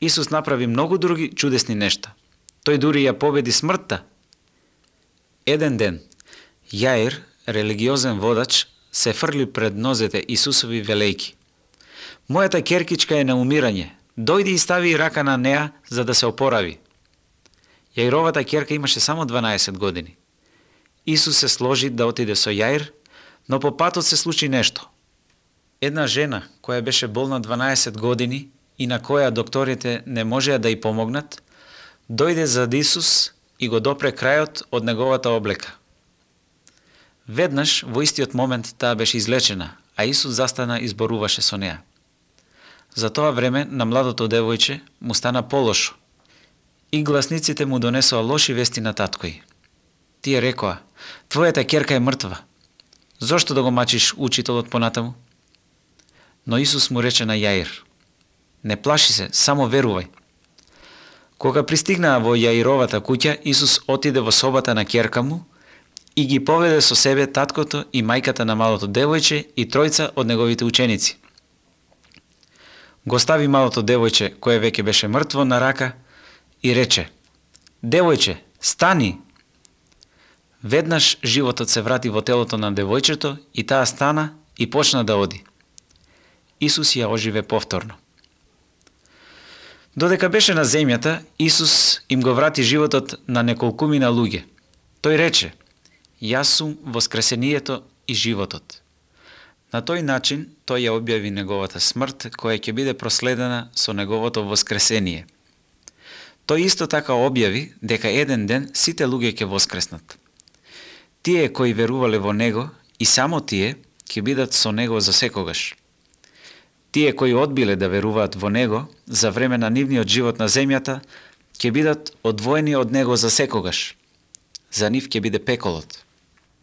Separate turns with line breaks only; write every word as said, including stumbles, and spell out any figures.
Исус направи многу други чудесни нешта. Тој дури ја победи смртта. Еден ден, Јаир, религиозен водач, се фрли пред нозете Исусови велејки: "Мојата керкичка е на умирање, дојди и стави рака на неа за да се опорави." Јаировата керка имаше само дванаесет години. Исус се сложи да отиде со Јаир, но по патот се случи нешто. Една жена која беше болна дванаесет години и на која докторите не можеа да ја помогнат, дојде зад Исус и го допре крајот од неговата облека. Веднаш, во истиот момент, таа беше излечена, а Исус застана и зборуваше со неа. За тоа време на младото девојче му стана полошо и гласниците му донесоа лоши вести на таткој. Тие рекоа: "Твојата ќерка е мртва. Зошто да го мачиш учителот понатаму?" Но Исус му рече на Јаир: "Не плаши се, само верувај." Кога пристигнаа во Јаировата куќа, Исус отиде во собата на ќерка му и ги поведе со себе таткото и мајката на малото девојче и тројца од неговите ученици. Го стави малото девојче, кое веќе беше мртво, на рака и рече: "Девојче, стани!" Веднаш животот се врати во телото на девојчето и таа стана и почна да оди. Исус ја оживе повторно. Додека беше на земјата, Исус им го врати животот на неколкумина луѓе. Тој рече: "Јас сум воскресението и животот." На тој начин тој ја објави неговата смрт, која ќе биде проследена со неговото воскресение. Тој исто така објави дека еден ден сите луѓе ќе воскреснат. Тие кои верувале во него и само тие ќе бидат со него за секогаш. Тие кои одбиле да веруваат во него за време на нивниот живот на земјата ќе бидат одвоени од него за секогаш. За нив ќе биде пеколот.